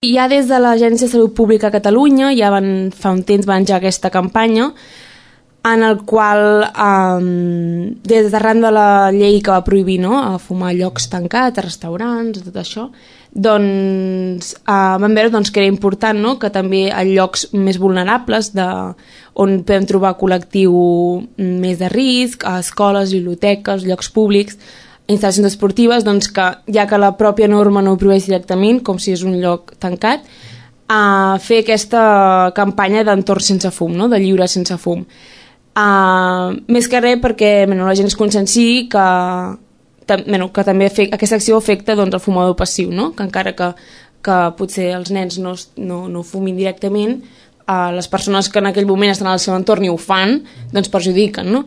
Ja des de l'Agència de Salut Pública a Catalunya, ja fa un temps van engegar aquesta campanya, en el qual, des d'arran de la llei que va prohibir a fumar a llocs tancats, a restaurants, tot això, doncs vam veure que era important que també a llocs més vulnerables on podem trobar col·lectiu més de risc, a escoles, biblioteques, llocs públics, instal·lacions esportives, doncs que ja que la pròpia norma no ho prohibeix directament, com si és un lloc tancat, a fer aquesta campanya d'entorn sense fum, de lliure sense fum. Més que res perquè la gent es conscienciï que també aquesta acció afecta el fumador passiu, que encara que potser els nens no fumin directament, les persones que en aquell moment estan al seu entorn i ho fan, doncs perjudiquen,